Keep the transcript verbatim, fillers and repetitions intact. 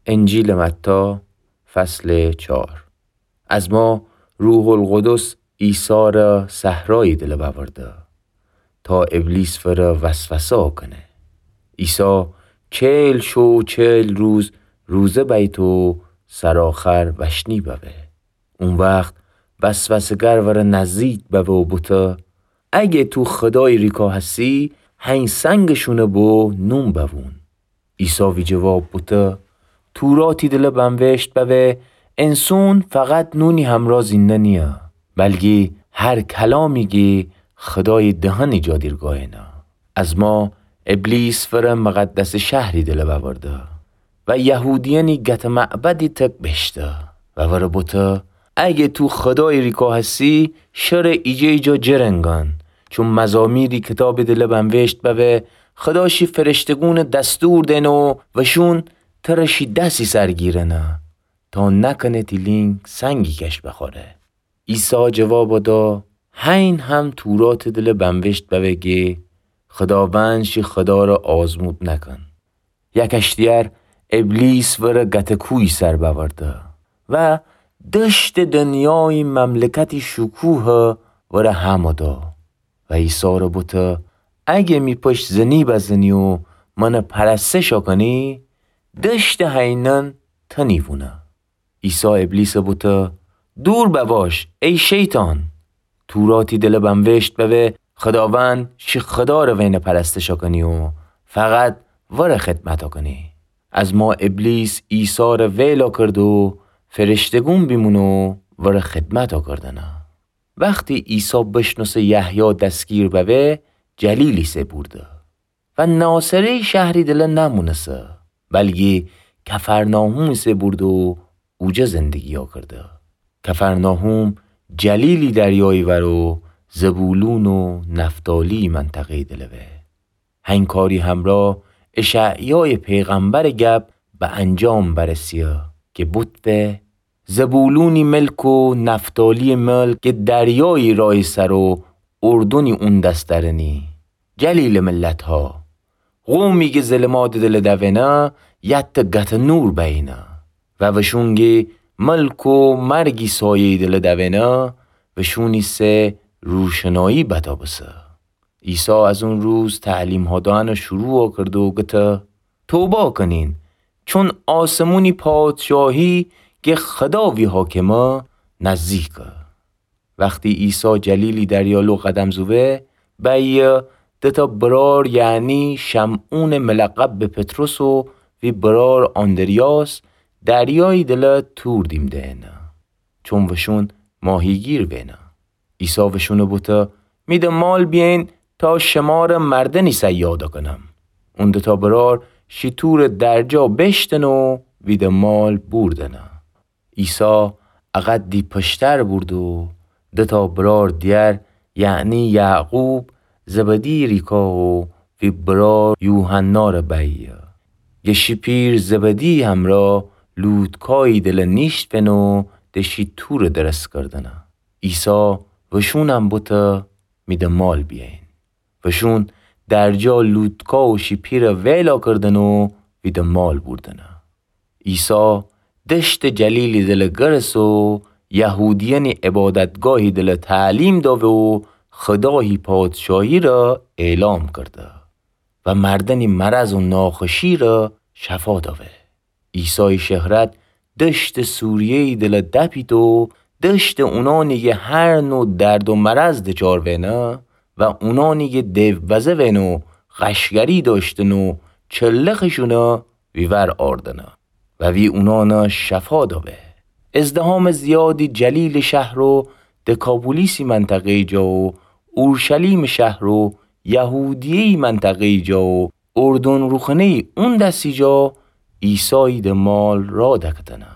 انجیلٚ متی، فصلٚ چار. از ما روح‌القدس عیسی ره صحرایی دله بأورده، تا ابلیس وره وسوسه کنه. عیسی چهل شو و چهل روز روزه بیت و سرآخر وشنی ببه. او وخت وسوسه‌گر وره نزدیک ببه و بوته: اگه تو خودای ریکا هسی، هین سنگ شونه بو نون بوون. عیسی وی جواب بوته: توراتی دله بنوشت ببه: انسون فقط نونی همرأ زینده نیه، بلکی هر کلامی کی خودای دهنٚ جا دیرگاینه. از ما ابلیس وره مقدسٚ شهری دله بأورده و یهودیأنی گتٚ معبدی تک بیشته و وره بوته: اگه تو خودای ریکا هسی، شره ایجه ایجا جرنگان، چون مزامیری کتابی دله بنوشت ببه: خودا شی فرشته‌گونٚ دستور دئنه و وشون تره شی دسی سر گیرنه، تا نکنه تی لینگ سنگی کش بخوره. عیسی جواب دا: هین هم توراتٚ دله بنوشت ببه گه خوداوند شی خودا ره آزمود نکن. یک اشتیار ابلیس وره گتٚ کویی سر بأورده و دشتٚ دنیایی مملکتی شکوه وره همه دا و عیسی ره بوته: اگه می پشت زنی بزنی و منه پرستش کنی، دشتٚ هینأن تنی وونه. عیسی ابلیس بوته: دور بباش ای شیطان! توراتی دله بنوشت ببه: خوداوند شی خودا ره وینه پرستش کنی و فقط وره خدمت کنی. از ما ابلیس عیسی ره ویلا کرد و فرشته‌گون بیمونه و وره خدمت کردنه. وختی عیسی بشنوسه یحیی دستگیر ببه، جلیلی سه بورده و ناصره‌ی شهری دله نمونسه، بلکی کفرناحومی سه بورده و اوجه زندگیا کرده. کفرناحوم جلیلی دریایی ور و زبولون و نفتالی منطقه‌ی دله وه. هین کاری همرأ اشعیایٚ پیغمبرٚ گب به انجام برسیه که بوتفه: زبولونی ملک و نفتالی ملک که دریایی رای سر و اردنی اون دس درنی. جلیلٚ ملتها، قومی که ظلماتٚ دله دونه، یتٚ گتٚ نور بینه و وشون که ملک و مرگی سایه‌ی دله دونه، وشونی سه روشنایی بتابسه. عیسی از اون روز تعلیمها دأنه شروع کرده و گته: توبه کنین، چون آسمونی پادشاهی که خودا وی حاکمه نزدیکه. وختی عیسی جلیلی دریالو قدم زوه، بیه دوتا برار، یعنی شمعونٚ ملقب به پطرس و وی برار آندریاس، دریایی دله تور دیم دئنه، چون وشون ماهیگیر وینه. عیسی وشونه بوته: می دنبال بیین تا شمره مردنی صیاد کنم. اون دوتا برار شی تورٚ درجا بیشتن و وی دنبال بوردنه. عیسی اقدی پشتر بورد و دوتا برار دیگر، یعنی یعقوب زبدی ریکا و وی برار یوحنا ره بیه. گه شی پیر زبدی همرأ لوتکایی دله نیشتفن و دشتی تورٚ درس کردنه. عیسی وشونم بوته: می دنبال بیین. وشون درجا لوتکا و شی پیره ویلا کردن و وی دنبال بوردنه. عیسی دشتٚ جلیلی دله گرس و یهودیأنی عبادتگاهی دله تعلیم داوه و خودایی پادشاهی ره اعلام کرده و مردنی مرض و ناخوشی ره شفا داوه. عیسای شهرت دشتٚ سوریه‌یی دله دپیت و دشتٚ اونانی که هر نوع درد و مرض دچار وینه و اونانی که دیوبزه وین و قشگری داشتن و چلخشونه وی ور آردنه و وی اونانه شفا داوه. ازدحامٚ زیادی جلیلٚ شهر و دکاپولیسی منطقه‌یی جا و اورشلیمٚ شهر و یهودیه‌یی منطقه‌یی جا و اردن روخونه‌یی اون دسی جا عیسایی دنبال راه دکدنه.